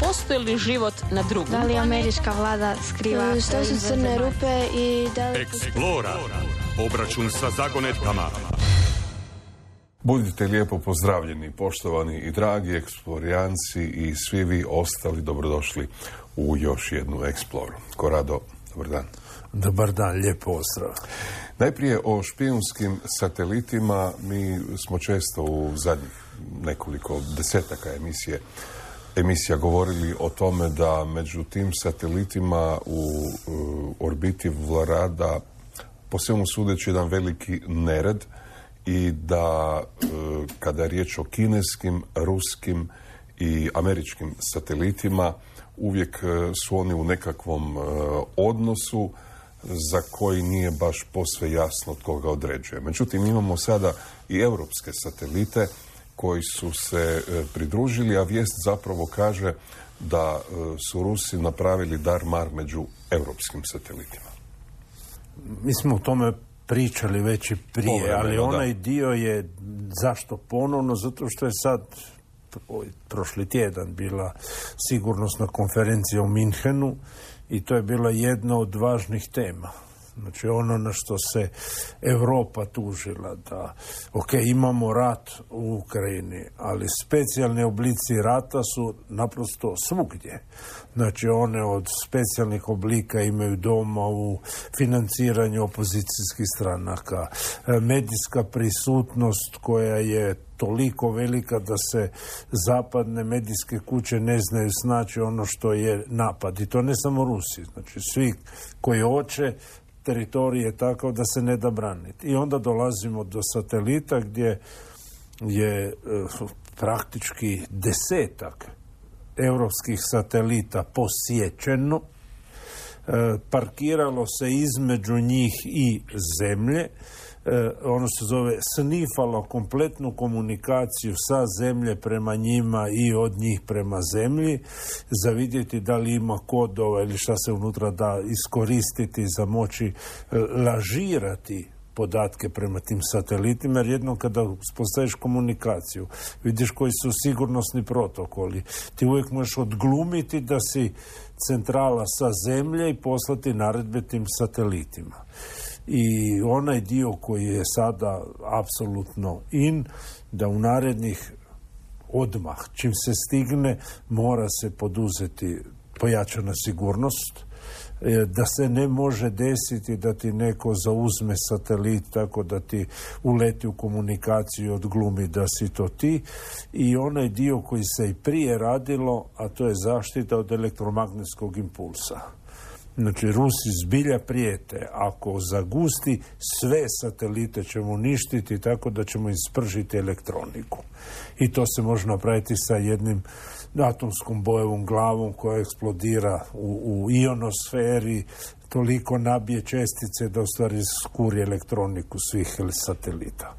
postoji li život na drugom? Da li američka vlada skriva? Što su crne rupe i da li... Explora. Obračun sa zagonetkama. Budite lijepo pozdravljeni, poštovani i dragi eksplorijanci i svi vi ostali dobrodošli u još jednu Exploru. Korado, dobar dan. Dobar dan, lijep pozdrav. Najprije o špijunskim satelitima. Mi smo često u zadnjih nekoliko desetaka emisija govorili o tome da među tim satelitima u orbiti vlada po svemu sudeći jedan veliki nered i da kada je riječ o kineskim, ruskim i američkim satelitima uvijek su oni u nekakvom odnosu za koji nije baš posve jasno tko ga određuje. Međutim, imamo sada i europske satelite koji su se pridružili, a vijest zapravo kaže da su Rusi napravili dar-mar među europskim satelitima. Mi smo o tome pričali već i prije, Povremeno, ali onaj da. dio je zašto ponovno, zato što je sad prošli tjedan bila sigurnosna konferencija u Minhenu i to je bila jedna od važnih tema. Znači ono na što se Europa tužila da, imamo rat u Ukrajini, ali specijalni oblici rata su naprosto svugdje. Znači one od specijalnih oblika imaju doma u financiranju opozicijskih stranaka, medijska prisutnost koja je toliko velika da se zapadne medijske kuće ne znaju snaći ono što je napad. I to ne samo Rusi, znači svi koji hoće, teritorij je takav da se ne da braniti. I onda dolazimo do satelita gdje je praktički 10-ak europskih satelita posjećeno, parkiralo se između njih i zemlje, ono se zove snifalo kompletnu komunikaciju sa zemlje prema njima i od njih prema zemlji, za vidjeti da li ima kodova ili šta se unutra da iskoristiti za moći lažirati podatke prema tim satelitima, jer jednom kada uspostaviš komunikaciju, vidiš koji su sigurnosni protokoli, ti uvijek možeš odglumiti da si centrala sa zemlje i poslati naredbe tim satelitima. I onaj dio koji je sada apsolutno da u narednih odmah, čim se stigne, mora se poduzeti pojačana sigurnost, da se ne može desiti da ti neko zauzme satelit tako da ti uleti u komunikaciju i odglumi da si to ti. I onaj dio koji se i prije radilo, a to je zaštita od elektromagnetskog impulsa. Znači, Rusi zbilja prijete. Ako zagusti, sve satelite ćemo uništiti tako da ćemo ispržiti elektroniku. I to se može napraviti sa jednim atomskom bojevom glavom koja eksplodira u ionosferi, toliko nabije čestice da u stvari skuri elektroniku svih satelita.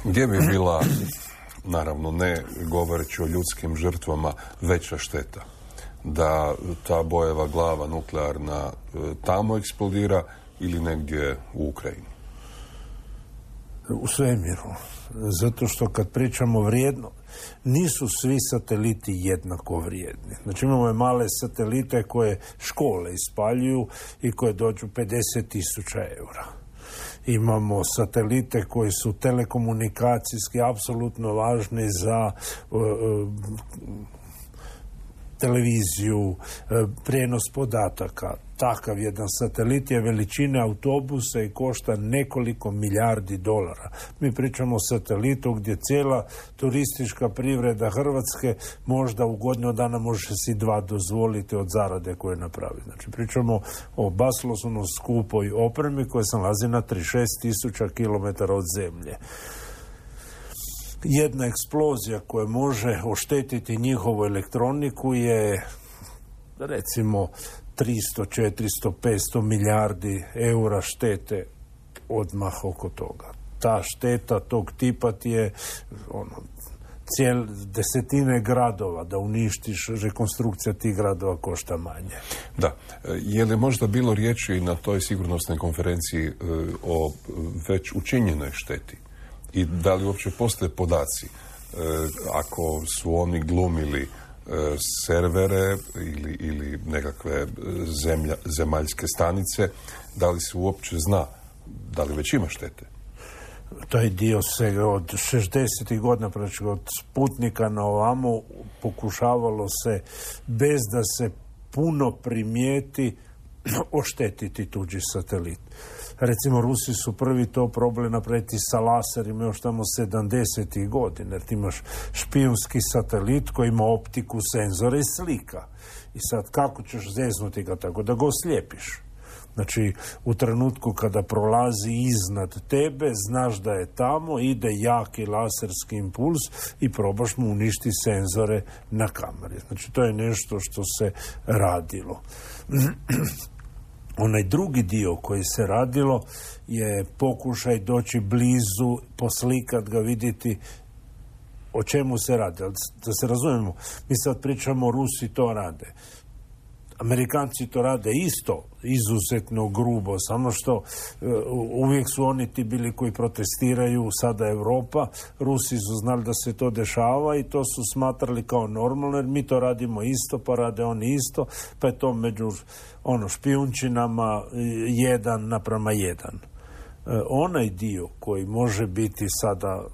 Gdje bi bila, naravno ne govoreći o ljudskim žrtvama, veća šteta? Da ta bojeva glava nuklearna tamo eksplodira ili negdje u Ukrajini? U svemiru. Zato što kad pričamo vrijedno, nisu svi sateliti jednako vrijedni. Znači imamo male satelite koje škole ispaljuju i koje dođu 50.000 eura. Imamo satelite koji su telekomunikacijski apsolutno važni za televiziju, prijenos podataka. Takav jedan satelit je veličine autobusa i košta nekoliko milijardi dolara. Mi pričamo o satelitu gdje cijela turistička privreda Hrvatske možda u godinu dana može si 2 dozvoliti od zarade koje napravi. Znači pričamo o basnoslovno skupoj opremi koja se nalazi na 36.000 km od zemlje. Jedna eksplozija koja može oštetiti njihovu elektroniku je recimo 300, 400, 500 milijardi eura štete odmah oko toga. Ta šteta tog tipa ti je desetine gradova, da uništiš, rekonstrukcija tih gradova košta manje. Da. Je li možda bilo riječi na toj sigurnosnoj konferenciji o već učinjenoj šteti? I da li uopće postoje podaci ako su oni glumili servere ili nekakve zemaljske stanice, da li se uopće zna, da li već ima štete? Taj dio se od 60. godina, znači od Sputnika na ovamo, pokušavalo se, bez da se puno primijeti, oštetiti tuđi satelit. Recimo, Rusi su prvi to probali napraviti sa laserima još tamo 70. godina, jer ti imaš špijunski satelit koji ima optiku, senzore i slika. I sad kako ćeš zeznuti ga tako da ga oslijepiš? Znači, u trenutku kada prolazi iznad tebe, znaš da je tamo, ide jaki laserski impuls i probaš mu uništi senzore na kameri. Znači, to je nešto što se radilo. Onaj drugi dio koji se radilo je pokušaj doći blizu, poslikat ga, vidjeti o čemu se radi. Da se razumijemo, mi sad pričamo, Rusi to rade. Amerikanci to rade isto, izuzetno grubo, samo što uvijek su oni ti bili koji protestiraju, sada Europa. Rusi su znali da se to dešava i to su smatrali kao normalno, jer mi to radimo isto, pa rade oni isto, pa je to među špijunčinama 1:1. Onaj dio koji može biti sada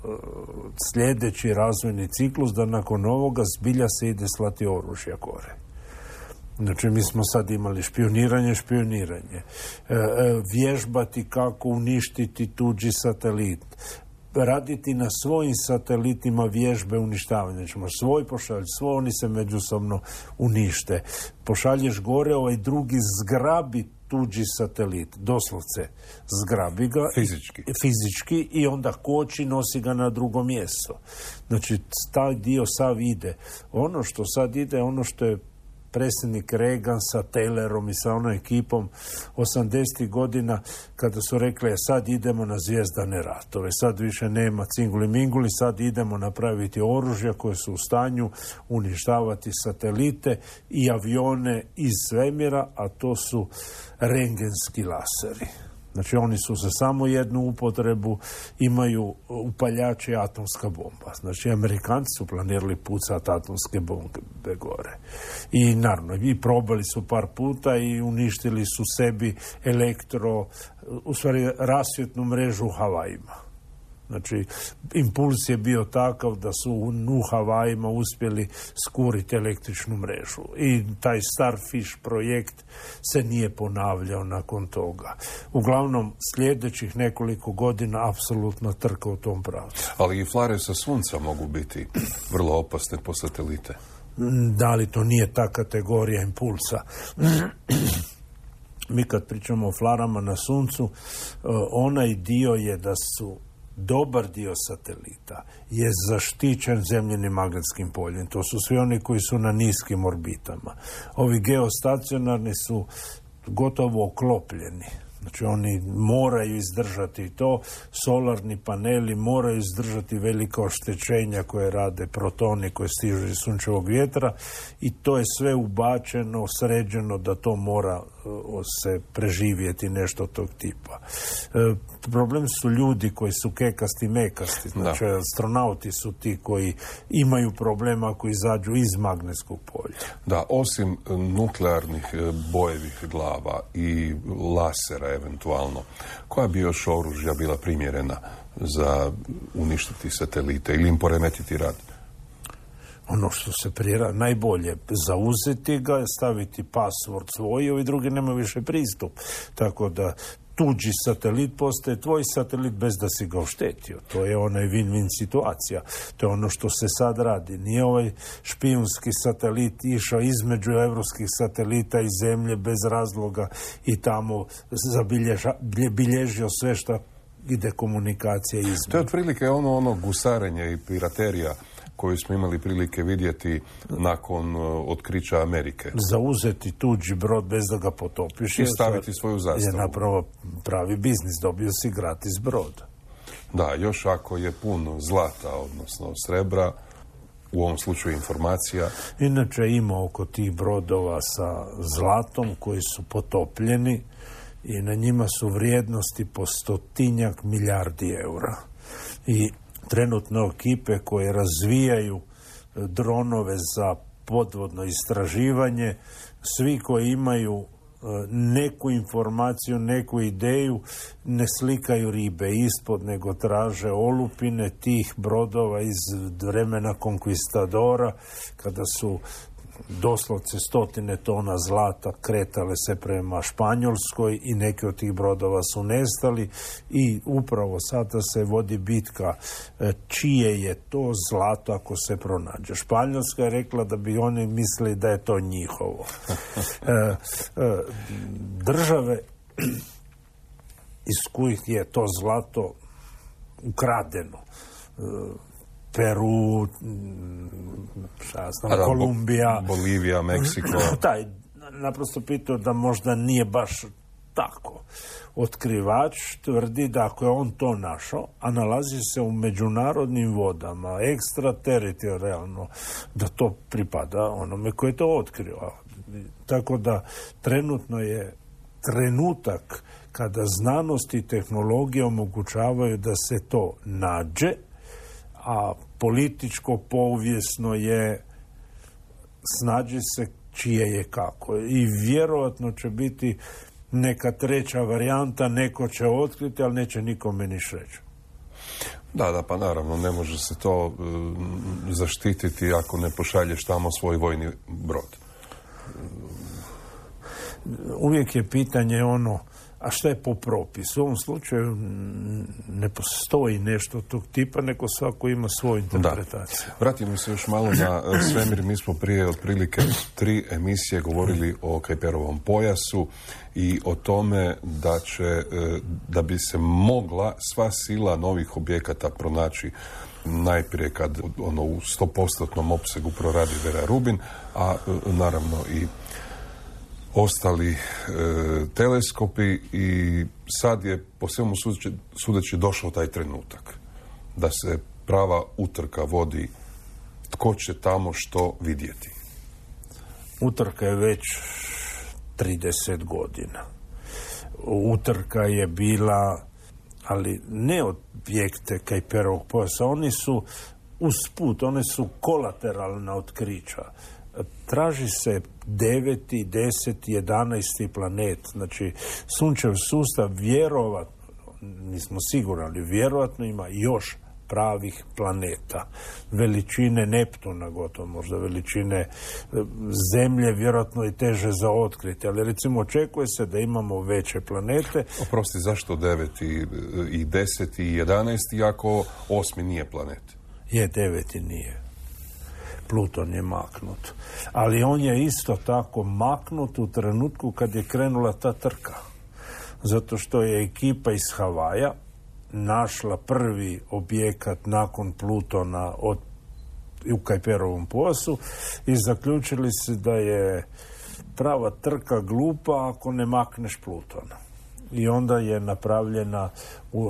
sljedeći razvojni ciklus, da nakon ovoga zbilja se ide slati oružja gore. Znači, mi smo sad imali špioniranje, vježbati kako uništiti tuđi satelit, raditi na svojim satelitima vježbe uništavanja. Znači, svoj pošalj, svoj, oni se međusobno unište. Pošalješ gore, ovaj drugi zgrabi tuđi satelit, doslovce zgrabi ga fizički i onda koči, nosi ga na drugo mjesto. Znači, taj dio sav ide. Ono što sad ide, ono što je predsjednik Reagan sa Taylorom i sa onom ekipom 80. godina, kada su rekli sad idemo na zvijezdane ratove, sad više nema cinguli minguli, sad idemo napraviti oružja koje su u stanju uništavati satelite i avione iz svemira, a to su rendgenski laseri. Znači, oni su za samo jednu upotrebu, imaju upaljače atomska bomba. Znači, Amerikanci su planirali pucati atomske bombe gore. I naravno, i probali su par puta i uništili su sebi u stvari rasvjetnu mrežu u Havajima. Znači, impuls je bio takav da su u Havajima uspjeli skuriti električnu mrežu. I taj Starfish projekt se nije ponavljao nakon toga. Uglavnom, sljedećih nekoliko godina apsolutno trka u tom pravcu. Ali i flare sa sunca mogu biti vrlo opasne po satelite. Da li to nije ta kategorija impulsa? Mi kad pričamo o flarama na suncu, onaj dio je da su dobar dio satelita je zaštićen zemljinim magnetskim poljem. To su svi oni koji su na niskim orbitama. Ovi geostacionarni su gotovo oklopljeni. Znači, oni moraju izdržati to. Solarni paneli moraju izdržati velika oštećenja koje rade protoni koji stižu iz sunčevog vjetra i to je sve ubačeno, sređeno da to mora se preživjeti nešto tog tipa. Problem su ljudi koji su kekasti, mekasti. Znači, astronauti su ti koji imaju problema ako izađu iz magnetskog polja. Da, osim nuklearnih bojevih glava i lasera eventualno, koja bi još oružja bila primjerena za uništiti satelite ili im poremetiti rad? Ono što se najbolje zauzeti ga, staviti password svoj, ovi drugi nema više pristup. Tako da tuđi satelit postaje tvoj satelit bez da si ga oštetio. To je onaj win-win situacija. To je ono što se sad radi. Nije ovaj špijunski satelit išao između evropskih satelita i zemlje bez razloga i tamo bilježio sve što ide komunikacija između. To je otprilike ono gusarenje i piraterija koju smo imali prilike vidjeti nakon otkrića Amerike. Zauzeti tuđi brod bez da ga potopiš i staviti svoju zastavu. Je napravo pravi biznis, dobio si gratis brod. Da, još ako je pun zlata, odnosno srebra, u ovom slučaju informacija. Inače ima oko tih brodova sa zlatom koji su potopljeni i na njima su vrijednosti po 100 milijardi eura. I trenutno ekipe koje razvijaju dronove za podvodno istraživanje. Svi koji imaju neku informaciju, neku ideju, ne slikaju ribe ispod, nego traže olupine tih brodova iz vremena konkvistadora, kada su doslovce 100 tona zlata kretale se prema Španjolskoj i neki od tih brodova su nestali i upravo sada se vodi bitka čije je to zlato ako se pronađe. Španjolska je rekla da bi oni mislili da je to njihovo. Države iz kojih je to zlato ukradeno, Peru, Kolumbija, Bolivija, Meksiko. Taj naprosto pitao da možda nije baš tako. Otkrivač tvrdi da ako je on to našao, a nalazi se u međunarodnim vodama, ekstrateritorijalno, da to pripada onome koji je to otkrio. Tako da trenutno je trenutak kada znanost i tehnologija omogućavaju da se to nađe, a političko, povijesno je snađi se čije je kako. I vjerojatno će biti neka treća varijanta, neko će otkriti, ali neće nikome niš reći. Da, pa naravno, ne može se to zaštititi ako ne pošalješ tamo svoj vojni brod. Uvijek je pitanje ono, a što je po propisu? U ovom slučaju ne postoji nešto tog tipa, neko svako ima svoju interpretaciju. Da. Vratimo se još malo na svemir. Mi smo prije otprilike 3 emisije govorili o Kuiperovom pojasu i o tome da bi se mogla sva sila novih objekata pronaći najprije kad u 100% opsegu proradi Vera Rubin, a naravno i ostali teleskopi, i sad je po svemu sudeći došao taj trenutak da se prava utrka vodi tko će tamo što vidjeti. Utrka je već 30 godina. Utrka je bila, ali ne objekte Kuiperovog pojasa, oni su usput, one su kolateralna otkrića. Traži se 9., 10., 11. planet. Znači, Sunčev sustav vjerovatno, nismo sigurni, ali vjerovatno ima još pravih planeta. Veličine Neptuna, gotovo možda veličine Zemlje, vjerojatno i teže za otkriti. Ali recimo očekuje se da imamo veće planete. Oprosti, zašto 9. i 10. i 11. ako 8. nije planet? Je, 9. nije. Pluton je maknut. Ali on je isto tako maknut u trenutku kad je krenula ta trka. Zato što je ekipa iz Havaja našla prvi objekat nakon Plutona u Kuiperovom pojasu i zaključili se da je prava trka glupa ako ne makneš Plutona. I onda je napravljena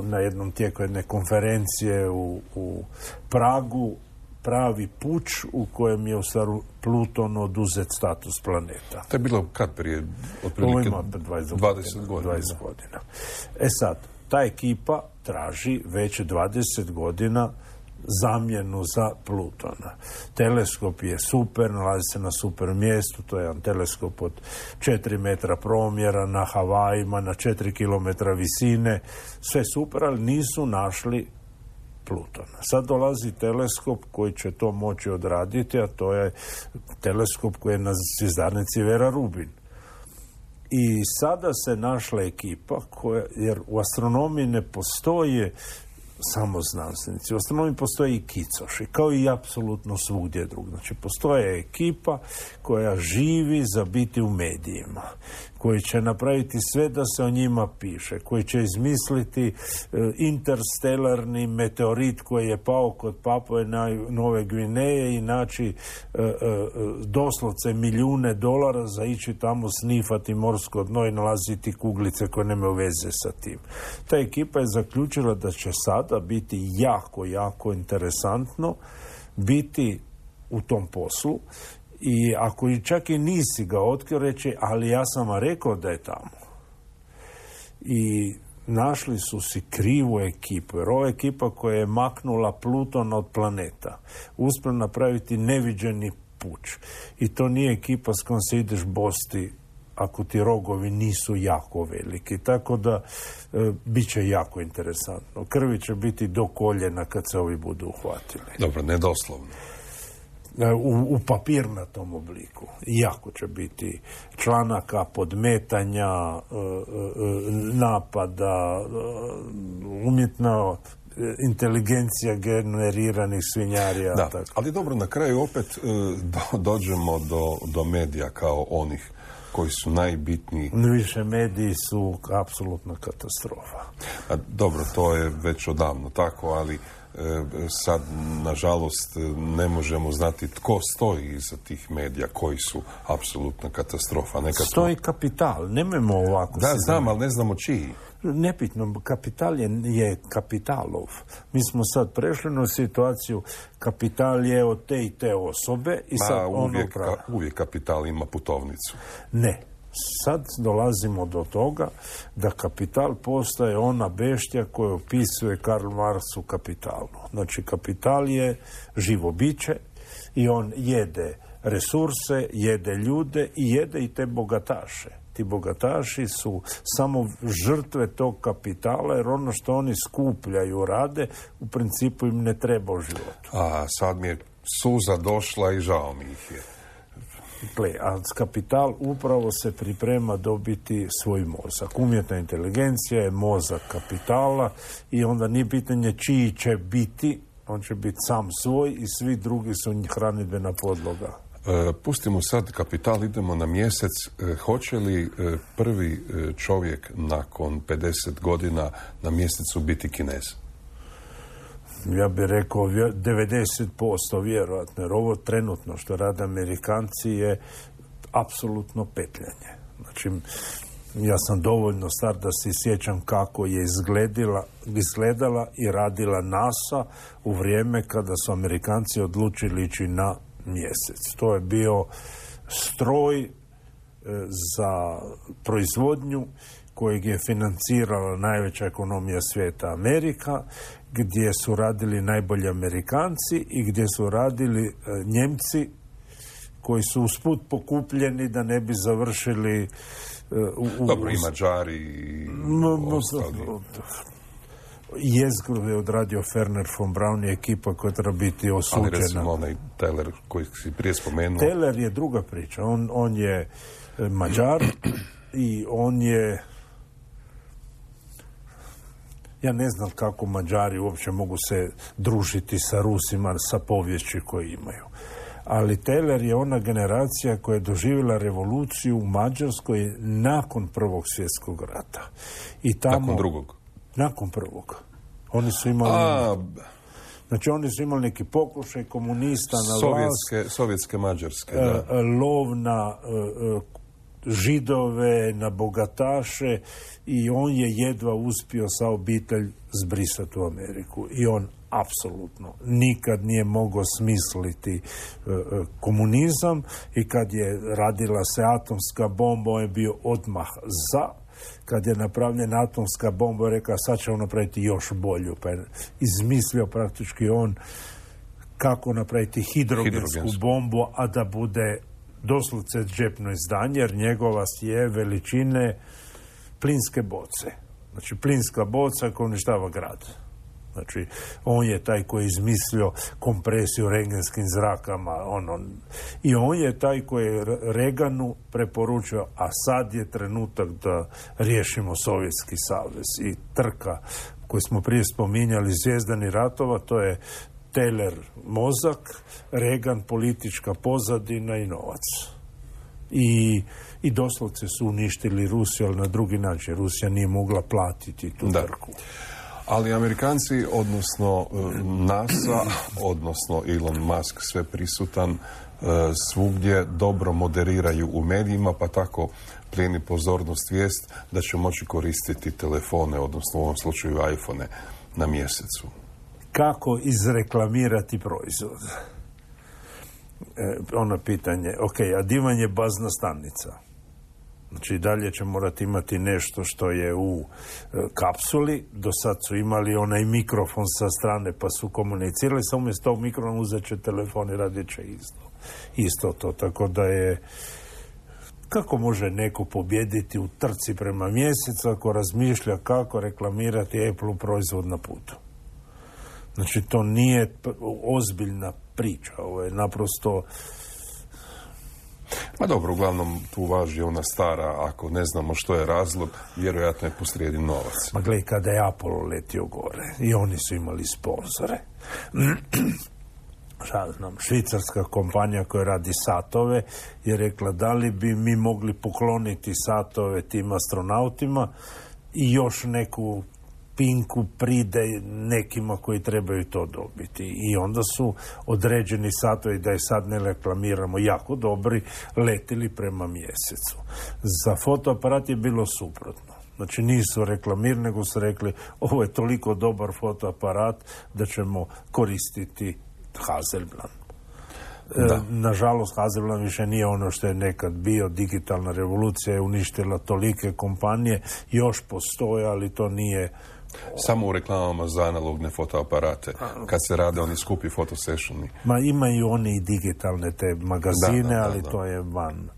na jednom tijeku jedne konferencije u Pragu pravi puč u kojem je u stvari Pluton oduzet status planeta. To je bilo kad prije? Otprilike 20 godina. 20 godina. E sad, ta ekipa traži već 20 godina zamjenu za Plutona. Teleskop je super, nalazi se na super mjestu, to je jedan teleskop od 4 metra promjera na Havajima, na 4 kilometra visine, sve super, ali nisu našli Plutona. Sad dolazi teleskop koji će to moći odraditi, a to je teleskop koji je na zvjezdarnici Vera Rubin. I sada se našla ekipa jer u astronomiji ne postoje samo znanstvenici. U astronomiji postoje i kicoši, kao i apsolutno svugdje drugdje. Znači, postoje ekipa koja živi za biti u medijima, koji će napraviti sve da se o njima piše, koji će izmisliti interstelarni meteorit koji je pao kod Papue Nove Gvineje i naći doslovce milijune dolara za ići tamo snifati morsko dno i nalaziti kuglice koje nemaju veze sa tim. Ta ekipa je zaključila da će sada biti jako, jako interesantno biti u tom poslu. I ako čak i nisi ga otkrio, reći, ali ja sam vam rekao da je tamo. I našli su si krivu ekipu, jer ova ekipa koja je maknula Pluton od planeta, uspjela napraviti neviđeni puč. I to nije ekipa s kojom se ideš bosti ako ti rogovi nisu jako veliki. Tako da bit će jako interesantno. Krvi će biti do koljena kad se ovi budu uhvatili. Dobro, ne doslovno. U papirnatom obliku. Jako će biti članaka, podmetanja, napada, umjetna inteligencija generiranih svinjarija. Da, tako. ali dobro, na kraju opet dođemo do medija kao onih koji su najbitniji. Više mediji su apsolutna katastrofa. Dobro, to je već odavno tako, ali sad, nažalost, ne možemo znati tko stoji iza tih medija koji su apsolutna katastrofa. Stoji kapital, nemojmo ovako. Da, znam, ali ne znamo čiji. Nepitno, kapital je kapitalov. Mi smo sad prešli na situaciju, kapital je od te i te osobe i sad uvijek kapital ima putovnicu. Ne. Sad dolazimo do toga da kapital postaje ona beštija koju opisuje Karl Marx u Kapitalu. Znači, kapital je živo biće i on jede resurse, jede ljude i jede i te bogataše. Ti bogataši su samo žrtve tog kapitala, jer ono što oni skupljaju, rade, u principu im ne treba u životu. A sad mi je suza došla i žao mi ih je. A kapital upravo se priprema dobiti svoj mozak. Umjetna inteligencija je mozak kapitala i onda nije pitanje čiji će biti, on će biti sam svoj i svi drugi su hranidbena podloga. Pustimo sad kapital, idemo na mjesec. Hoće li prvi čovjek nakon 50 godina na mjesecu biti Kinez? Ja bih rekao 90% vjerojatno, jer ovo trenutno što rade Amerikanci je apsolutno petljanje. Znači, ja sam dovoljno star da se sjećam kako je izgledala i radila NASA u vrijeme kada su Amerikanci odlučili ići na mjesec. To je bio stroj za proizvodnju kojeg je financirala najveća ekonomija svijeta, Amerika, gdje su radili najbolji Amerikanci i gdje su radili Njemci koji su usput pokupljeni da ne bi završili Dobro, i Mađari i ostali. Jezgru je odradio Ferner von Braun i ekipa koja treba biti osuđena. Ali recimo onaj Teller koji si prije spomenuo. Teller je druga priča. On je Mađar i on je... Ja ne znam kako Mađari uopće mogu se družiti sa Rusima, sa poviješću koju imaju. Ali Teller je ona generacija koja je doživjela revoluciju u Mađarskoj nakon Prvog svjetskog rata. I tamo, nakon drugog? Nakon prvog. Oni su imali... Znači, oni su imali neki pokušaj komunista na vlast. Sovjetske Mađarske, da. Lov na Židove, na bogataše i on je jedva uspio sa obitelj zbrisati u Ameriku. I on apsolutno nikad nije mogao smisliti komunizam i kad je radila se atomska bomba, on je bio odmah za. Kad je napravljena atomska bomba, je rekao sad ćemo napraviti još bolju. Pa je izmislio praktički on kako napraviti hidrogensku bombu, a da bude doslovce džepno izdanje, jer njegova je veličine plinske boce. Znači, plinska boca koja uništava grad. Znači, on je taj koji je izmislio kompresiju rengenskim zrakama. I on je taj koji je Reaganu preporučio, a sad je trenutak da riješimo Sovjetski savez. I trka koju smo prije spominjali, Zvijezdani ratova, to je Teller mozak, Reagan politička pozadina i novac. I doslovce su uništili Rusiju, ali na drugi način. Rusija nije mogla platiti tu trku. Ali Amerikanci, odnosno NASA, odnosno Elon Musk, sve prisutan, svugdje dobro moderiraju u medijima, pa tako plijeni pozornost vijest da će moći koristiti telefone, odnosno u ovom slučaju iPhone, na mjesecu. Kako izreklamirati proizvod? Ono pitanje, a divan je bazna stanica. Znači, dalje će morati imati nešto što je u kapsuli. Do sad su imali onaj mikrofon sa strane pa su komunicirali. Samo umjesto tog mikrofona uzet će telefon i radit će isto. isto to. Tako da je, kako može neko pobijediti u trci prema mjesecu ako razmišlja kako reklamirati Apple proizvod na putu? Znači, to nije ozbiljna priča. Ovo je naprosto... Ma dobro, uglavnom tu važi ona stara, ako ne znamo što je razlog, vjerojatno je posrijedi novac. Ma gledaj, kada je Apollo letio gore i oni su imali sponzore. Šta znam, švicarska kompanija koja radi satove je rekla da li bi mi mogli pokloniti satove tim astronautima i još neku pinku pride nekima koji trebaju to dobiti. I onda su određeni satovi, da je sad ne reklamiramo, jako dobri, letili prema mjesecu. Za fotoaparat je bilo suprotno. Znači nisu reklamirali, nego su rekli ovo je toliko dobar fotoaparat da ćemo koristiti Hasselblad. Nažalost, Hasselblad više nije ono što je nekad bio. Digitalna revolucija je uništila tolike kompanije, još postoje, ali to nije... Samo u reklamama za analogne fotoaparate, kad se rade oni skupi fotosessioni. Ma imaju oni i digitalne te magazine, ali to je van.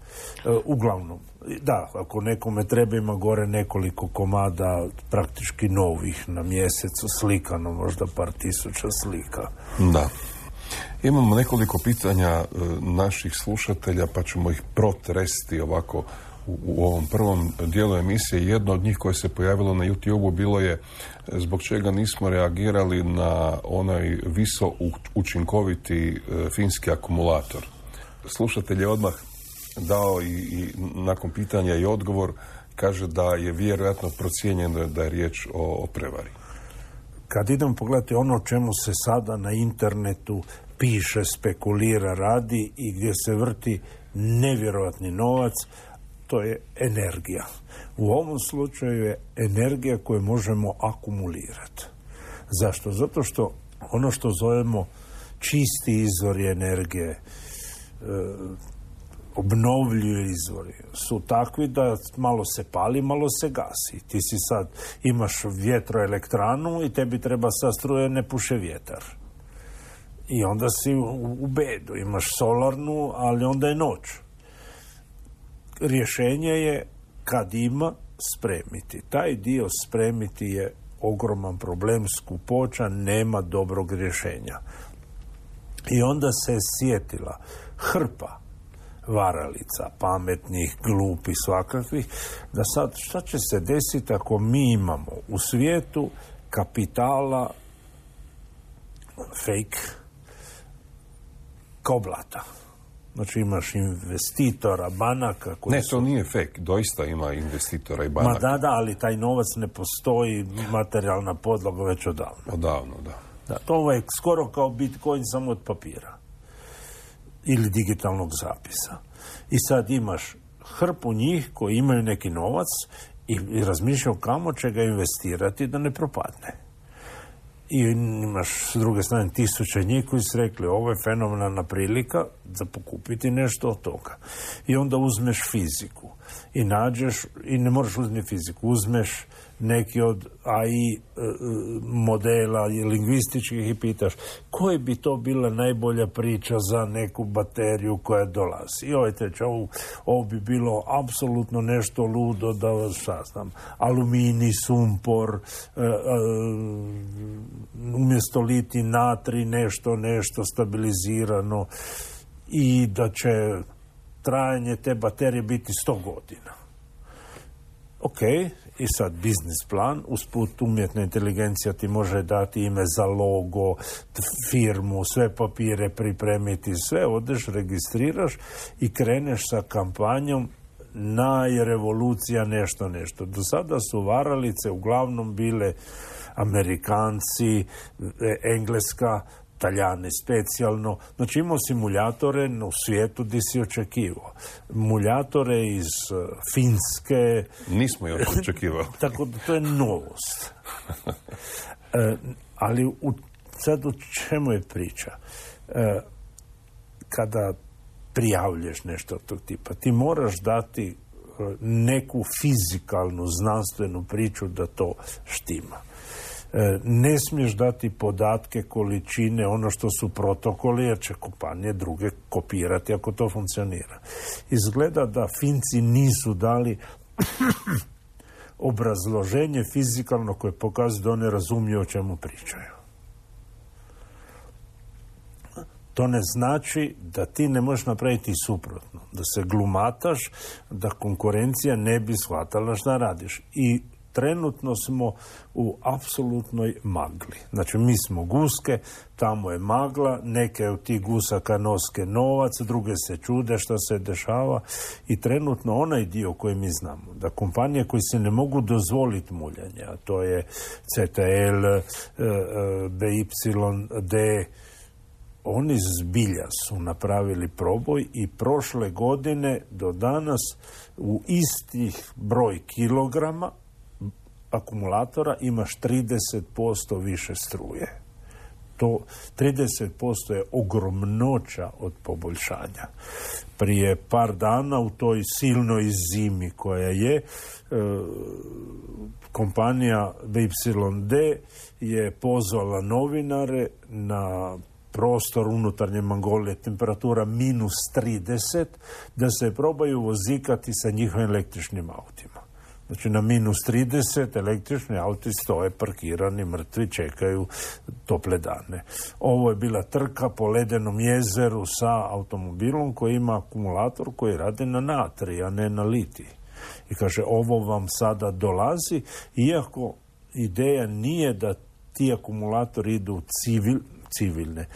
Uglavnom, da, ako nekome treba, ima gore nekoliko komada praktički novih na mjesecu, slikano, možda par tisuća slika. Da. Imamo nekoliko pitanja naših slušatelja, pa ćemo ih protresti ovako u ovom prvom dijelu emisije. Jedno od njih koje se pojavilo na YouTube-u bilo je zbog čega nismo reagirali na onaj učinkoviti finski akumulator. Slušatelj je odmah dao i nakon pitanja i odgovor, kaže da je vjerojatno procijenjeno da je riječ o prevari. Kad idemo pogledati ono o čemu se sada na internetu piše, spekulira, radi i gdje se vrti nevjerojatni novac, to je energija. U ovom slučaju je energija koju možemo akumulirati. Zašto? Zato što ono što zovemo čisti izvori energije, obnovljivi izvori, su takvi da malo se pali, malo se gasi. Ti si sad, imaš vjetroelektranu i tebi treba sad struje, ne puše vjetar. I onda si u bedu. Imaš solarnu, ali onda je noć. Rješenje je, kad ima, spremiti. Taj dio spremiti je ogroman problem, skupoća, nema dobrog rješenja. I onda se sjetila hrpa varalica, pametnih, glupih, svakakvih, da sad šta će se desiti ako mi imamo u svijetu kapitala fake kao blata. Znači imaš investitora, banaka... Ne, to nije fake, doista ima investitora i banaka. Ma da, ali taj novac ne postoji, materijalna podloga već odavno. Odavno, da. To je skoro kao Bitcoin, samo od papira. Ili digitalnog zapisa. I sad imaš hrpu njih koji imaju neki novac i razmišljaju kamo će ga investirati da ne propadne. I imaš s druge strane tisuće njih koji su rekli ovo je fenomenalna prilika za pokupiti nešto od toga. I onda uzmeš fiziku i nađeš, i ne moraš uzeti fiziku, uzmeš neki od AI modela i lingvističkih i pitaš koja bi to bila najbolja priča za neku bateriju koja dolazi. I ovaj treći, ovo bi bilo apsolutno nešto ludo da, šta znam, aluminij, sumpor, umjesto liti natri, nešto stabilizirano i da će trajanje te baterije biti 100 godina. Ok, i sad biznis plan, usput umjetna inteligencija ti može dati ime za logo, firmu, sve papire pripremiti, sve odeš, registriraš i kreneš sa kampanjom najrevolucija nešto. Do sada su varalice uglavnom bile Amerikanci, Engleska, Talijani specijalno. Znači imao simuljatore u svijetu gdje si očekivao. Muljatore iz Finske. Nismo još očekivali. Tako da to je novost. Ali sad u čemu je priča? Kada prijavljuješ nešto od tog tipa, ti moraš dati neku fizikalnu, znanstvenu priču da to štima. Ne smiješ dati podatke, količine, ono što su protokoli, jer će kompanije druge kopirati ako to funkcionira. Izgleda da Finci nisu dali obrazloženje fizikalno koje pokazuje da one razumiju o čemu pričaju. To ne znači da ti ne možeš napraviti suprotno, da se glumataš, da konkurencija ne bi shvatala šta radiš. I trenutno smo u apsolutnoj magli. Znači, mi smo guske, tamo je magla, neke od tih gusaka noske novac, druge se čude šta se dešava i trenutno onaj dio koji mi znamo, da kompanije koji se ne mogu dozvoliti muljanje, a to je CTL, BYD, oni zbilja su napravili proboj i prošle godine do danas u istih broj kilograma akumulatora imaš 30% više struje. To 30% je ogromnoća od poboljšanja. Prije par dana u toj silnoj zimi koja je, kompanija BYD je pozvala novinare na prostor unutarnje Mongolije, temperatura -30, da se probaju vozikati sa njihovim električnim autima. Znači na -30 električni auti stoje parkirani, mrtvi, čekaju tople dane. Ovo je bila trka po ledenom jezeru sa automobilom koji ima akumulator koji radi na natrij, a ne na litij. I kaže, ovo vam sada dolazi, iako ideja nije da ti akumulatori idu civilne.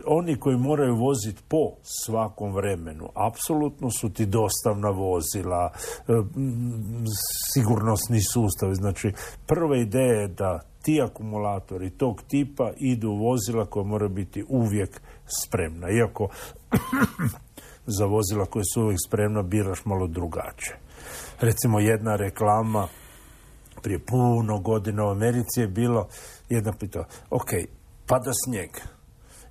Oni koji moraju voziti po svakom vremenu, apsolutno su ti dostavna vozila, sigurnosni sustavi. Znači, prva ideja je da ti akumulatori tog tipa idu u vozila koja mora biti uvijek spremna. Iako za vozila koje su uvijek spremna biraš malo drugačije. Recimo, jedna reklama prije puno godina u Americi je bilo, jedna pitala, ok, pada snijeg,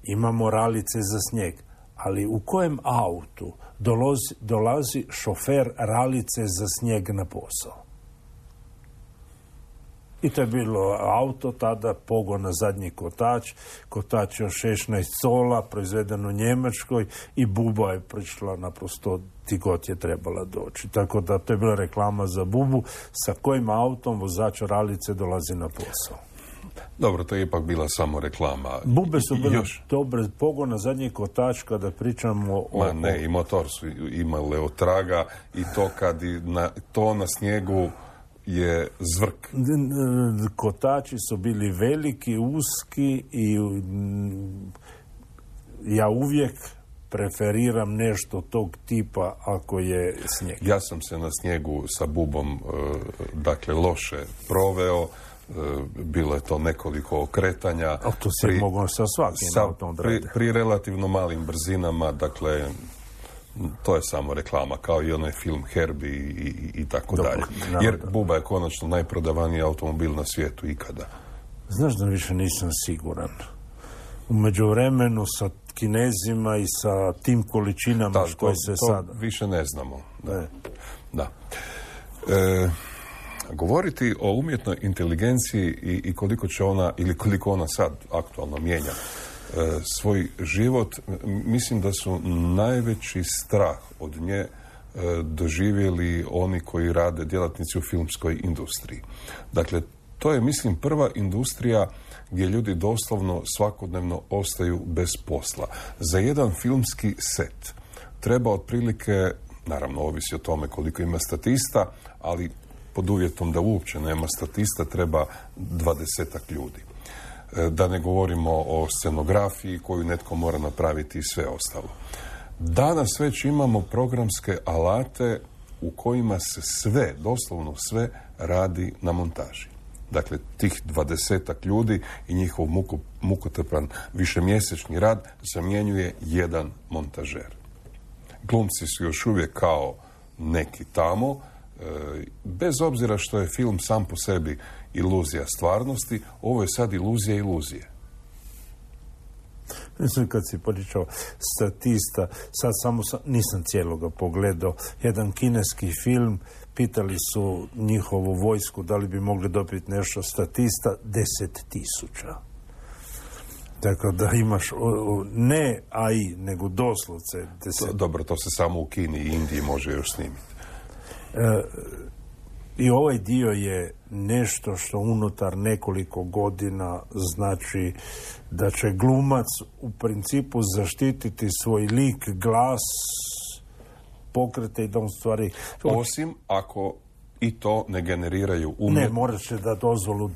imamo ralice za snijeg, ali u kojem autu dolazi šofer ralice za snijeg na posao? I to je bilo auto tada, pogon na zadnji kotač od 16 sola, proizveden u Njemačkoj i buba je prišla naprosto ti god je trebala doći. Tako da to je bila reklama za bubu, sa kojim autom vozač ralice dolazi na posao. Dobro, to je ipak bila samo reklama. Bube su bile dobre, pogon na zadnji kotač kada pričamo o... Ne, i motor su imale otraga i to kad to na snijegu je zvrk. Kotači su bili veliki, uski i ja uvijek preferiram nešto tog tipa ako je snijeg. Ja sam se na snijegu sa bubom dakle loše proveo. Bilo je to nekoliko okretanja. A to se moglo sa svakim autom odraditi. Pri relativno malim brzinama, dakle, to je samo reklama, kao i onaj film Herbie i tako dalje. Jer buba je konačno najprodavaniji automobil na svijetu ikada. Znaš da više nisam siguran. U međuvremenu sa Kinezima i sa tim količinama koje se sada... više ne znamo. Da. Govoriti o umjetnoj inteligenciji i koliko će ona, ili koliko ona sad aktualno mijenja svoj život, mislim da su najveći strah od nje doživjeli oni koji rade, djelatnici u filmskoj industriji. Dakle, to je, mislim, prva industrija gdje ljudi doslovno svakodnevno ostaju bez posla. Za jedan filmski set treba otprilike, naravno ovisi o tome koliko ima statista, ali pod uvjetom da uopće nema statista treba 20-ak ljudi. Da ne govorimo o scenografiji koju netko mora napraviti i sve ostalo. Danas već imamo programske alate u kojima se sve, doslovno sve, radi na montaži. Dakle, tih 20-ak ljudi i njihov mukotrpan višemjesečni rad zamjenjuje jedan montažer. Glumci su još uvijek kao neki tamo, bez obzira što je film sam po sebi iluzija stvarnosti, ovo je sad iluzija iluzije. Mislim, kad si pričao statista, sad samo nisam cijeloga pogledao, jedan kineski film, pitali su njihovu vojsku da li bi mogli dobiti nešto statista, 10.000. Tako da imaš ne AI, nego doslovce 10. Dobro, to se samo u Kini i Indiji može još snimiti. I ovaj dio je nešto što unutar nekoliko godina znači da će glumac u principu zaštititi svoj lik, glas, pokrete i da on stvari... Osim ako i to ne generiraju Ne, morat će da dozvolu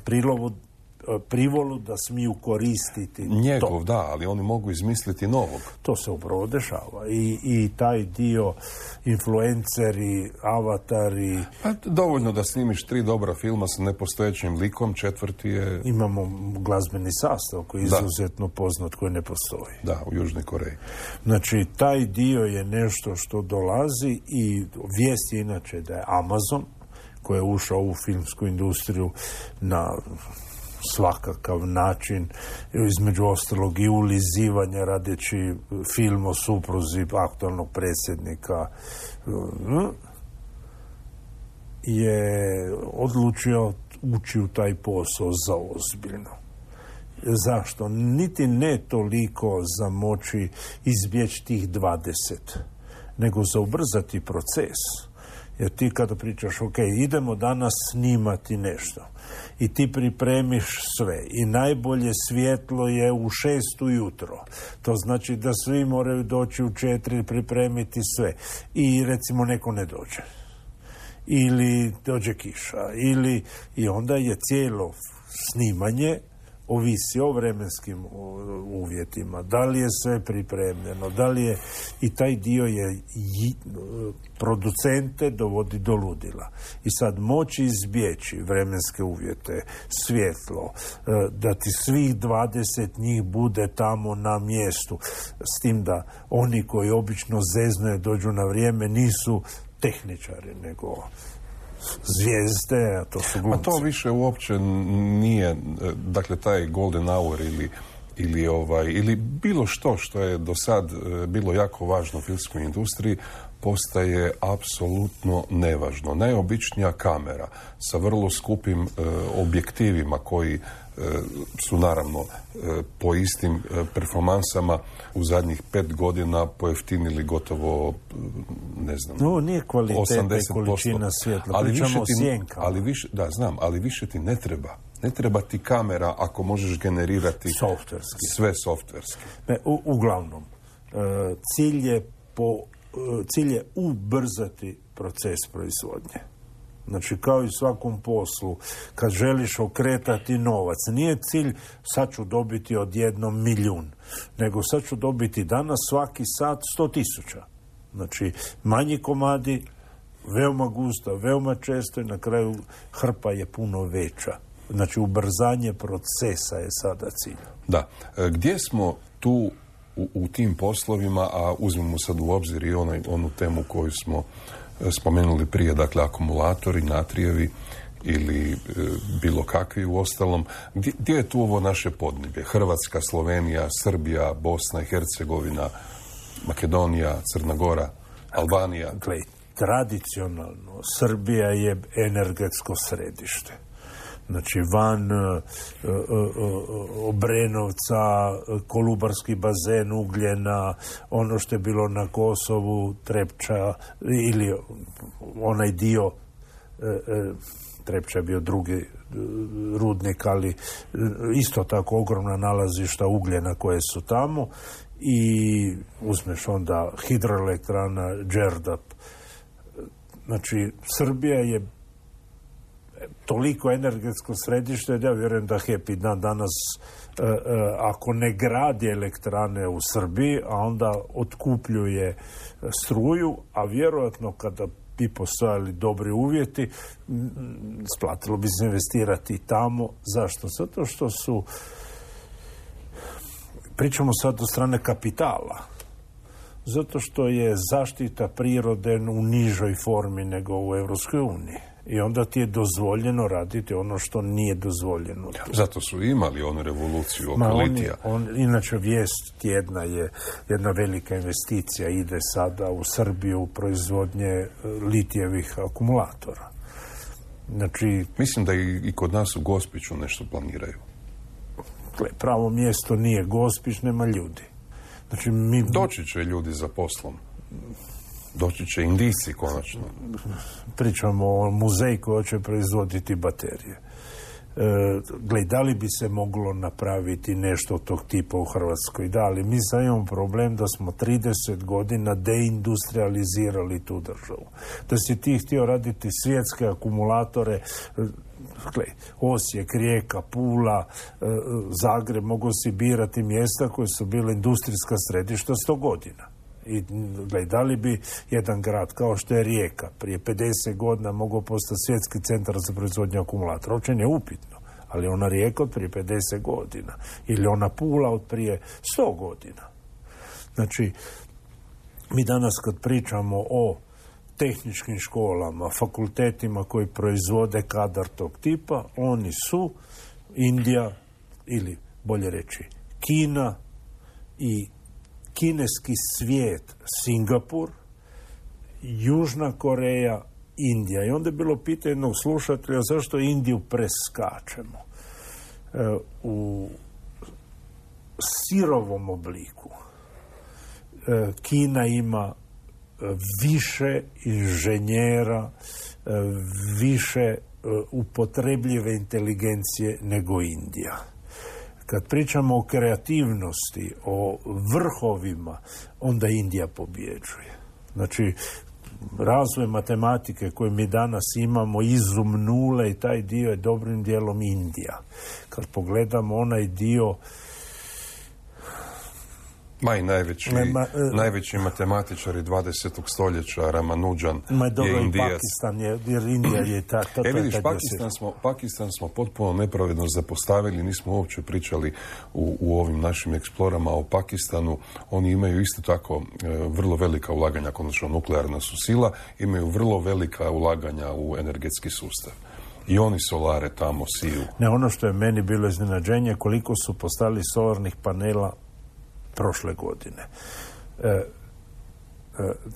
privolu da smiju koristiti njegov, to. da, ali oni mogu izmisliti novog. To se upravo dešava. I taj dio influenceri, avatari... Pa, dovoljno da snimiš 3 dobra filma sa nepostojećim likom, 4. je... Imamo glazbeni sastav koji je izuzetno poznat, koji ne postoji. Da, u Južnoj Koreji. Znači, taj dio je nešto što dolazi i vijest je inače da je Amazon, koji je ušao u filmsku industriju na svakakav način, između ostalog i ulizivanja radeći film o supruzi aktualnog predsjednika, je odlučio ući u taj posao za ozbiljno. Zašto? Niti ne toliko za moći izbjeći tih 20, nego za ubrzati proces. Jer ti kada pričaš, ok, idemo danas snimati nešto i ti pripremiš sve i najbolje svjetlo je u 6 ujutro. To znači da svi moraju doći u 4 pripremiti sve. I recimo neko ne dođe. Ili dođe kiša. I onda je cijelo snimanje ovisi o vremenskim uvjetima, da li je sve pripremljeno, da li je, i taj dio je producente dovodi do ludila. I sad moći izbjeći vremenske uvjete, svjetlo, da ti svih 20 njih bude tamo na mjestu, s tim da oni koji obično zeznuje dođu na vrijeme nisu tehničari, nego zvijezde, a to su glumci. A to više uopće nije, dakle, taj golden hour ili bilo što je do sad bilo jako važno u filmskoj industriji, postaje apsolutno nevažno. Najobičnija kamera sa vrlo skupim objektivima koji su naravno po istim performansama u zadnjih 5 godina pojeftinili gotovo, ne znam, no, nije kvaliteta i količina svjetla, pričamo o sjenkama. Ali više ti ne treba. Ne treba ti kamera ako možeš generirati sve softverski. Uglavnom, cilj je ubrzati proces proizvodnje. Znači, kao i svakom poslu, kad želiš okretati novac, nije cilj sad ću dobiti odjednom 1.000.000, nego sad ću dobiti danas svaki sat 100.000. Znači, manji komadi, veoma gusta, veoma često i na kraju hrpa je puno veća. Znači, ubrzanje procesa je sada cilj. Da. Gdje smo tu u tim poslovima, a uzmemo sad u obzir i onu temu koju smo spomenuli prije, dakle akumulatori, natrijevi ili bilo kakvi u ostalom. Gdje je tu ovo naše podneblje? Hrvatska, Slovenija, Srbija, Bosna i Hercegovina, Makedonija, Crna Gora, Albanija? Dakle, tradicionalno Srbija je energetsko središte. Znači, van Obrenovca, Kolubarski bazen Ugljena, ono što je bilo na Kosovu, Trepča, ili onaj dio, Trepča je bio drugi rudnik, ali isto tako ogromna nalazišta ugljena koje su tamo, i uzmeš onda hidroelektrana Đerdap. Znači, Srbija je toliko energetsko središte da ja vjerujem da HEP i danas ako ne gradi elektrane u Srbiji, a onda otkupljuje struju, a vjerojatno kada bi postojali dobri uvjeti, splatilo bi se investirati tamo. Zašto? Zato što su, pričamo sad o strane kapitala, zato što je zaštita prirode u nižoj formi nego u Europskoj uniji. I onda ti je dozvoljeno raditi ono što nije dozvoljeno. Zato su imali onu revoluciju oko litija. Inače, vijest tjedna je jedna velika investicija, ide sada u Srbiju u proizvodnje litijevih akumulatora. Znači, mislim da i kod nas u Gospiću nešto planiraju. Pravo mjesto nije Gospić, nema ljudi. Znači, doći će ljudi za poslom. Doći će Indijci konačno. Pričamo o muzeju koji će proizvoditi baterije. Da li bi se moglo napraviti nešto tog tipa u Hrvatskoj? Da, ali mi sad imamo problem da smo 30 godina deindustrializirali tu državu. Da si ti htio raditi svjetske akumulatore, Osijek, Rijeka, Pula, Zagreb, mogu si birati mjesta koje su bile industrijska središta 100 godina. I da li bi jedan grad kao što je Rijeka prije 50 godina mogao postati svjetski centar za proizvodnju akumulatora? Uopće je upitno, ali ona Rijeka od prije 50 godina ili ona Pula od prije 100 godina. Znači, mi danas kad pričamo o tehničkim školama, fakultetima koji proizvode kadar tog tipa, oni su Indija ili bolje reći Kina i kineski svijet, Singapur, Južna Koreja, Indija. I onda je bilo pitanje jednog slušatelja zašto Indiju preskačemo. U sirovom obliku Kina ima više inženjera, više upotrebljive inteligencije nego Indija. Kad pričamo o kreativnosti, o vrhovima, onda Indija pobjeđuje. Znači, razvoj matematike koje mi danas imamo, izum nule i taj dio je dobrim dijelom Indija. Kad pogledamo onaj dio... najveći matematičari 20. stoljeća, Ramanujan, je Indijac. Jer Indija je vidiš, Pakistan smo potpuno nepravedno zapostavili, nismo uopće pričali u ovim našim eksplorama o Pakistanu. Oni imaju isto tako vrlo velika ulaganja, konačno nuklearna su sila, imaju vrlo velika ulaganja u energetski sustav. I oni solare tamo siju. Ono što je meni bilo iznenađenje, koliko su postavili solarnih panela prošle godine.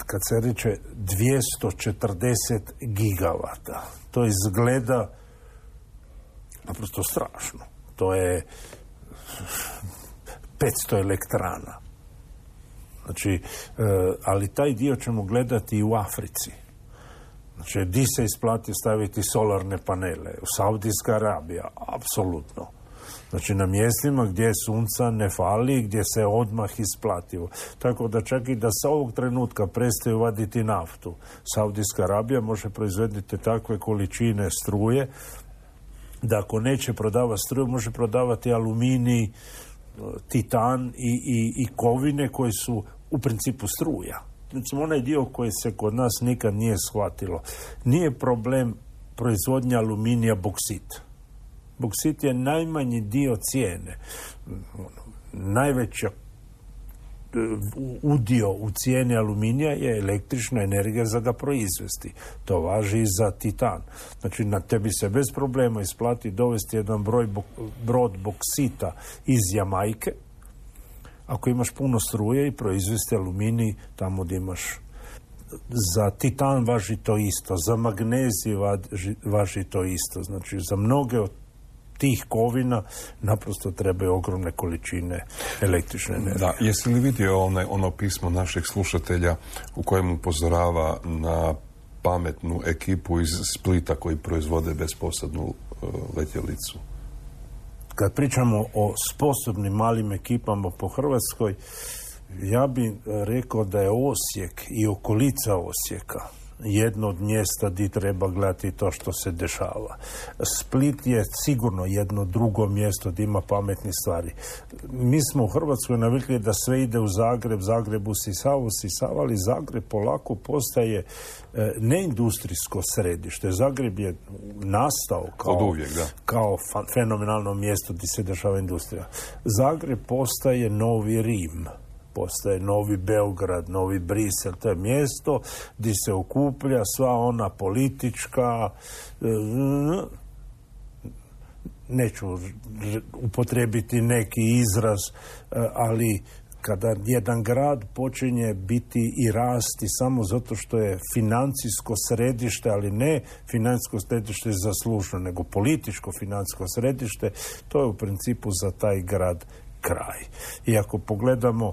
Kad se reče 240 gigavata, to izgleda naprosto strašno. To je 500 elektrana. Znači, ali taj dio ćemo gledati i u Africi. Znači, di se isplati staviti solarne panele? U Saudijska Arabija, apsolutno. Znači, na mjestima gdje sunca ne fali, gdje se odmah isplativo. Tako da čak i da sa ovog trenutka prestaju vaditi naftu, Saudijska Arabija može proizvoditi takve količine struje da ako neće prodavati struju, može prodavati aluminij, titan i kovine koje su u principu struja. Znači, onaj dio koji se kod nas nikad nije shvatilo. Nije problem proizvodnja aluminija boksit. Boksit je najmanji dio cijene. Najveći udio u cijeni aluminija je električna energija za ga proizvesti. To važi i za titan. Znači, na tebi se bez problema isplati dovesti jedan brod boksita iz Jamajke, ako imaš puno struje, i proizvesti aluminij tamo gdje imaš. Za titan važi to isto, za magnezij važi to isto. Znači, za mnoge od tih kovina naprosto trebaju ogromne količine električne energije. Da, jesi li vidio ono pismo našeg slušatelja u kojem upozorava na pametnu ekipu iz Splita koji proizvode besposadnu letjelicu? Kad pričamo o sposobnim malim ekipama po Hrvatskoj, ja bih rekao da je Osijek i okolica Osijeka jedno od mjesta gdje treba gledati to što se dešava. Split je sigurno jedno drugo mjesto gdje ima pametnih stvari. Mi smo u Hrvatskoj navikli da sve ide u Zagreb, Zagreb usisava, ali Zagreb polako postaje neindustrijsko središte. Zagreb je nastao kao fenomenalno mjesto gdje se dešava industrija. Zagreb postaje novi Rim postaje novi Beograd, novi Brisel, to je mjesto gdje se okuplja sva ona politička, neću upotrijebiti neki izraz, ali kada jedan grad počinje biti i rasti samo zato što je financijsko središte, ali ne financijsko središte zaslužno, nego političko financijsko središte, to je u principu za taj grad kraj. I ako pogledamo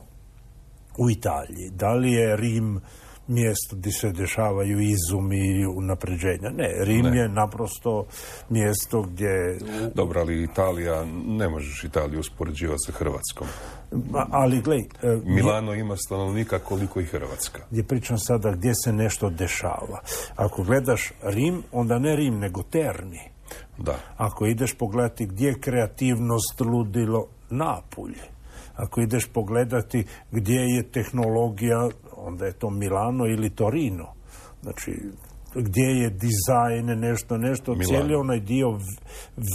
u Italiji, da li je Rim mjesto gdje se dešavaju izumi i unapređenja? Ne, Rim je naprosto mjesto gdje... Dobro, ali Italija, ne možeš Italiju uspoređivati sa Hrvatskom. Ali, gledaj... Milano ima stanovnika koliko i Hrvatska. Gdje pričam sada gdje se nešto dešava. Ako gledaš Rim, onda ne Rim, nego Terni. Da. Ako ideš pogledati gdje je kreativnost, ludilo, Napulj. Ako ideš pogledati gdje je tehnologija, onda je to Milano ili Torino. Znači, gdje je dizajn, nešto, Milano. Cijeli onaj dio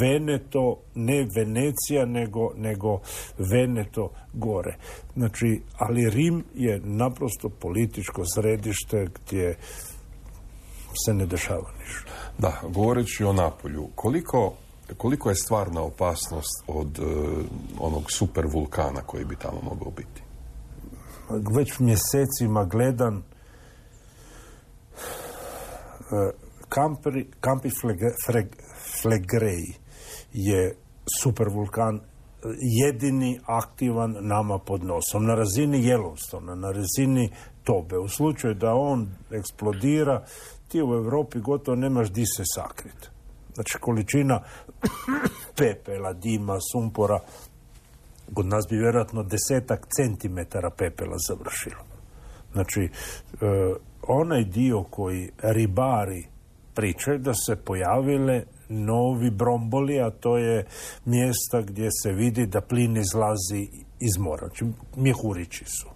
Veneto, ne Venecija, nego Veneto gore. Znači, ali Rim je naprosto političko središte gdje se ne dešava ništa. Da, govoreći o Napolju, koliko je stvarna opasnost od onog super vulkana koji bi tamo mogao biti? Već mjesecima gledam Campi Flegrei je supervulkan jedini aktivan nama pod nosom. Na razini Yellowstona, na razini Tobe. U slučaju da on eksplodira, ti u Europi gotovo nemaš di se sakriti. Znači, količina pepela, dima, sumpora, kod nas bi vjerojatno 10 centimetara pepela završilo. Znači, onaj dio koji ribari pričaju da se pojavile novi bromboli, a to je mjesta gdje se vidi da plin izlazi iz mora. Znači, mjehurići su.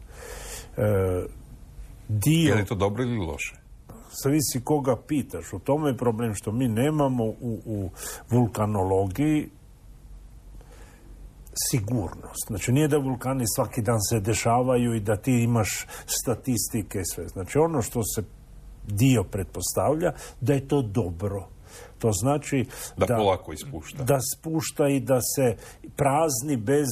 Je li to dobro ili loše? Zavisi koga pitaš. U tome je problem što mi nemamo u vulkanologiji sigurnost. Znači, nije da vulkani svaki dan se dešavaju i da ti imaš statistike i sve. Znači, ono što se dio pretpostavlja da je to dobro. To znači da polako ispušta. Da spušta i da se prazni bez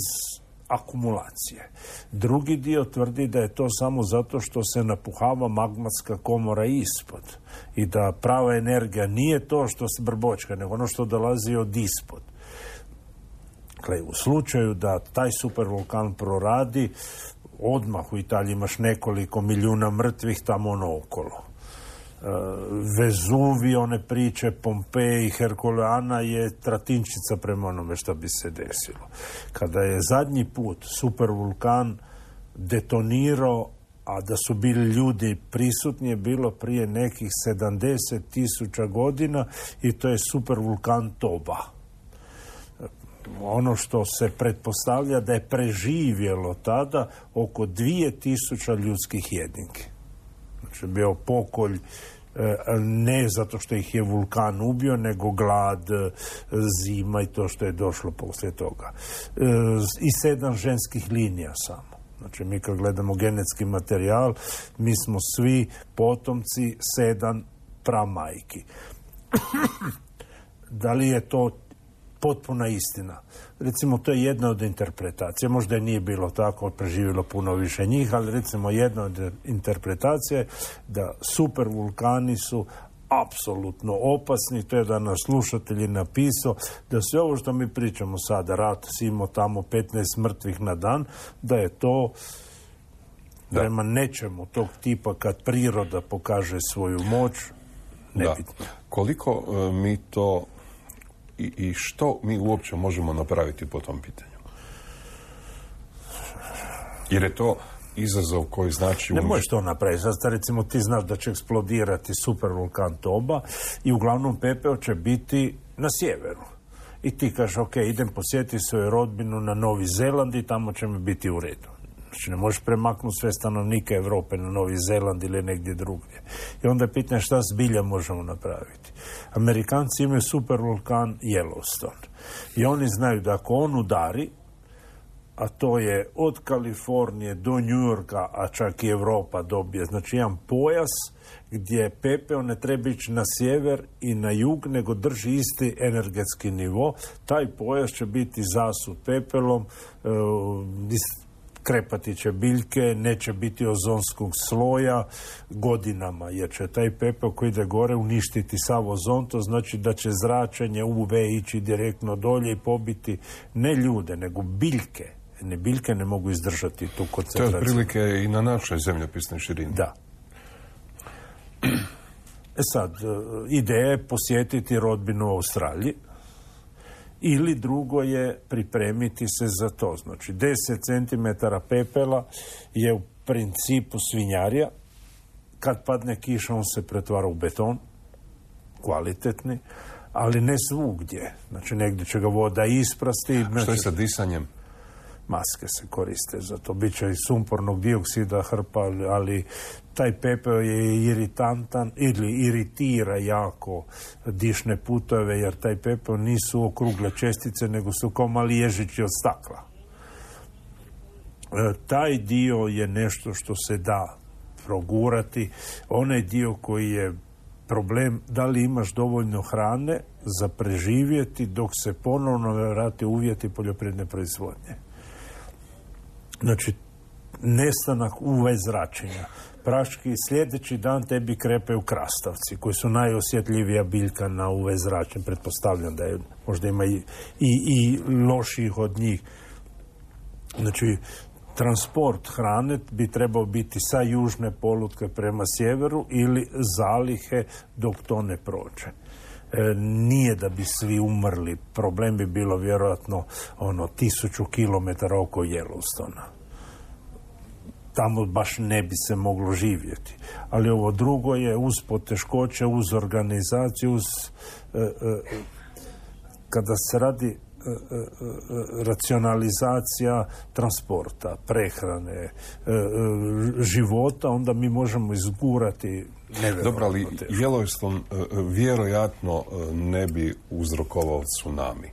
akumulacije. Drugi dio tvrdi da je to samo zato što se napuhava magmatska komora ispod i da prava energija nije to što se brbočka, nego ono što dolazi od ispod. Dakle, u slučaju da taj supervulkan proradi, odmah u Italiji imaš nekoliko milijuna mrtvih tamo okolo. Vezuvi, one priče, Pompeji, Herkuleana je tratinčica prema onome što bi se desilo. Kada je zadnji put supervulkan detonirao, a da su bili ljudi prisutni, je bilo prije nekih 70.000 godina i to je supervulkan Toba. Ono što se pretpostavlja da je preživjelo tada oko 2000 ljudskih jedinki. Znači, bio pokolj ne zato što ih je vulkan ubio, nego glad, zima i to što je došlo poslije toga. I 7 ženskih linija samo. Znači, mi kad gledamo genetski materijal, mi smo svi potomci 7 pramajki. Da li je to potpuna istina? Recimo, to je jedna od interpretacija. Možda je nije bilo tako, preživjelo puno više njih, ali recimo jedna od interpretacija je da supervulkani su apsolutno opasni. To je da naš slušatelj je napisao da sve ovo što mi pričamo sada, rat, simo tamo 15 mrtvih na dan, da je to prema nečemu tog tipa kad priroda pokaže svoju moć, nebitno. Koliko mi to i što mi uopće možemo napraviti po tom pitanju? Jer je to izazov koji znači... Ne možeš to napraviti. Sad, recimo, ti znaš da će eksplodirati supervulkan Toba i uglavnom pepeo će biti na sjeveru. I ti kažeš, ok, idem posjetiti svoju rodbinu na Novi Zeland i tamo će mi biti u redu. Znači, ne možeš premaknuti sve stanovnike Europe na Novi Zeland ili negdje drugdje. I onda je pitanje šta zbilja možemo napraviti. Amerikanci imaju supervulkan Yellowstone. I oni znaju da ako on udari, a to je od Kalifornije do New Yorka, a čak i Europa dobije. Znači jedan pojas gdje pepeo ne treba ići na sjever i na jug, nego drži isti energetski nivo. Taj pojas će biti zasut pepelom, krepati će biljke, neće biti ozonskog sloja godinama, jer će taj pepeo koji ide gore uništiti sav ozon, to znači da će zračenje UV ići direktno dolje i pobiti ne ljude, nego biljke. Biljke ne mogu izdržati tu koncentraciju. To je otprilike i na našoj zemljopisnoj širini. Da. Sad, ideja je posjetiti rodbinu u Australiji, ili drugo je pripremiti se za to. Znači, 10 cm pepela je u principu svinjarija. Kad padne kiša, on se pretvara u beton, kvalitetni, ali ne svugdje. Znači, negdje će ga voda isprasti. Što je sa disanjem? Maske se koriste za to. Biće i sumpornog dioksida hrpa, ali taj pepeo je iritantan ili iritira jako dišne putove, jer taj pepeo nisu okrugle čestice, nego su kao mali ježići od stakla. Taj dio je nešto što se da progurati. Onaj dio koji je problem, da li imaš dovoljno hrane za preživjeti dok se ponovno vrate uvjeti poljoprivredne proizvodnje. Znači, nestanak UV zračenja. Praški sljedeći dan tebi krepaju krastavci, koji su najosjetljivija biljka na UV zračenje. Pretpostavljam da je, možda ima i loših od njih. Znači, transport hrane bi trebao biti sa južne polutke prema sjeveru ili zalihe dok to ne prođe. Nije da bi svi umrli. Problem bi bilo vjerojatno 1000 kilometara oko Yellowstona. Tamo baš ne bi se moglo živjeti. Ali ovo drugo je uz poteškoće, uz organizaciju, kada se radi racionalizacija transporta, prehrane, života, onda mi možemo izgurati nevjerojatno. Dobro, ali Yellowstone vjerojatno ne bi uzrokovao tsunami.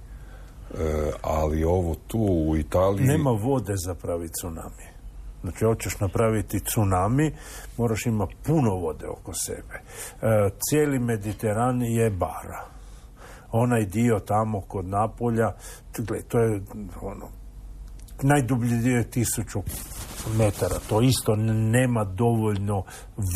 Ali ovo tu u Italiji... Nema vode za pravi tsunami. Znači, hoćeš napraviti tsunami, moraš imati puno vode oko sebe. Cijeli Mediteran je bara. Onaj dio tamo kod Napolja, to je najdublji dio je 1000 metara. To isto nema dovoljno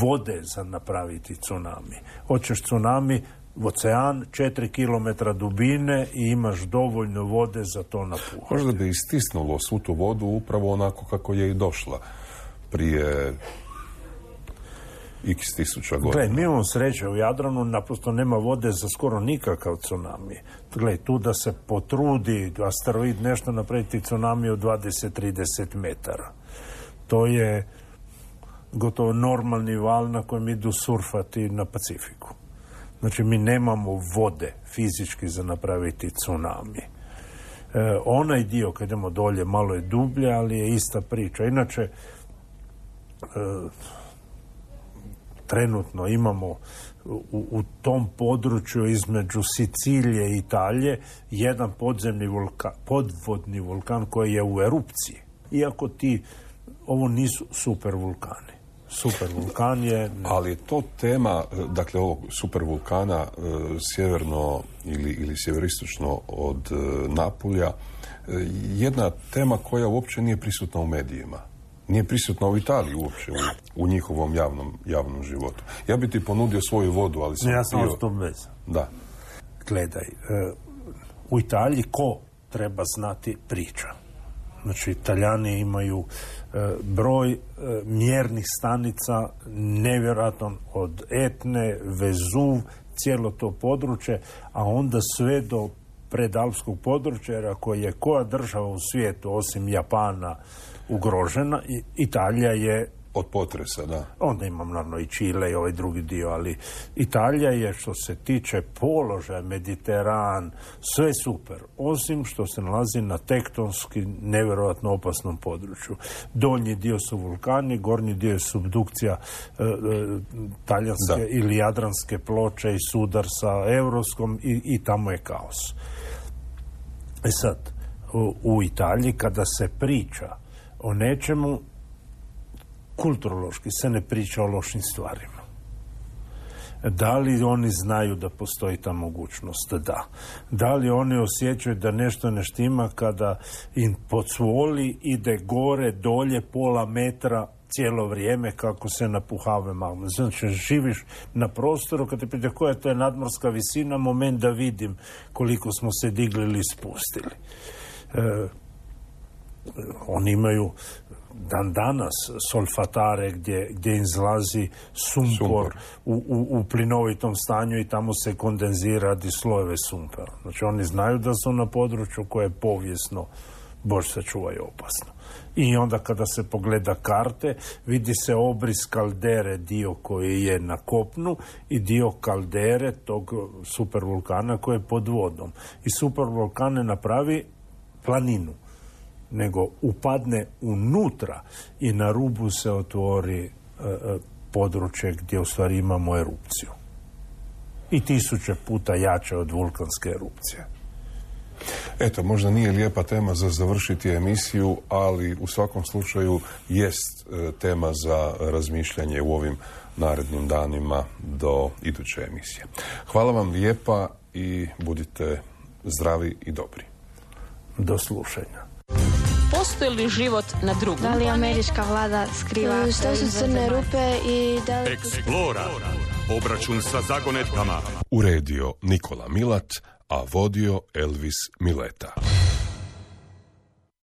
vode za napraviti tsunami. Hoćeš tsunami, ocean, 4 km dubine i imaš dovoljno vode za to napuhati. Možda bi istisnulo svu tu vodu upravo onako kako je i došla prije x tisuća godina. Gle, mi imamo sreće u Jadranu, naprosto nema vode za skoro nikakav tsunami. Gle, tu da se potrudi asteroid nešto napraviti tsunami od 20-30 metara. To je gotovo normalni val na kojem idu surfati na Pacifiku. Znači, mi nemamo vode fizički za napraviti tsunami. Onaj dio, kad idemo dolje, malo je dublje, ali je ista priča. Inače, trenutno imamo u tom području između Sicilije i Italije jedan podvodni vulkan koji je u erupciji. Iako ovo nisu supervulkani. Supervulkan je... Ali je to tema, dakle, ovog supervulkana sjeverno ili sjeveristočno od Napulja, jedna tema koja uopće nije prisutna u medijima. Nije prisutna u Italiji uopće, u njihovom javnom životu. Ja bi ti ponudio svoju vodu, ali sam... Ja sam ostao bez. Da. Gledaj, u Italiji ko treba znati priča? Znači, Italijani imaju broj mjernih stanica nevjerojatan od Etne, Vezuv, cijelo to područje, a onda sve do predalpskog područja, jer ako je koja država u svijetu, osim Japana, ugrožena, Italija je... Od potresa, da. Onda imam naravno i Čile i ovaj drugi dio, ali Italija je, što se tiče položaja, Mediteran, sve super, osim što se nalazi na tektonski nevjerojatno opasnom području. Donji dio su vulkani, gornji dio je subdukcija talijanske ili jadranske ploče i sudar sa Europskom i tamo je kaos. Sad, u Italiji kada se priča o nečemu, kulturološki se ne priča o lošim stvarima. Da li oni znaju da postoji ta mogućnost? Da. Da li oni osjećaju da nešto ne štima kada im podsvoli ide gore, dolje, pola metra cijelo vrijeme kako se napuhave magma? Znači, živiš na prostoru, kad te pita koja to je nadmorska visina, moment da vidim koliko smo se digli ili spustili. Oni imaju dan danas solfatare gdje izlazi sumpor u plinovitom stanju i tamo se kondenzira radi slojeve sumpora. Znači oni znaju da su na području koje je povijesno, Bože sačuvaj, opasno. I onda kada se pogleda karte, vidi se obris kaldere, dio koji je na kopnu i dio kaldere tog supervulkana koji je pod vodom. I supervulkan ne napravi planinu, nego upadne unutra i na rubu se otvori područje gdje u stvari imamo erupciju. I 1000 puta jače od vulkanske erupcije. Eto, možda nije lijepa tema za završiti emisiju, ali u svakom slučaju jest tema za razmišljanje u ovim narednim danima do iduće emisije. Hvala vam lijepa i budite zdravi i dobri. Do slušanja. Postoji li život na drugom? Da li američka vlada skriva? Što su crne rupe i da li... Eksplora. Obračun sa zagonetkama. Uredio Nikola Milat, a vodio Elvis Mileta.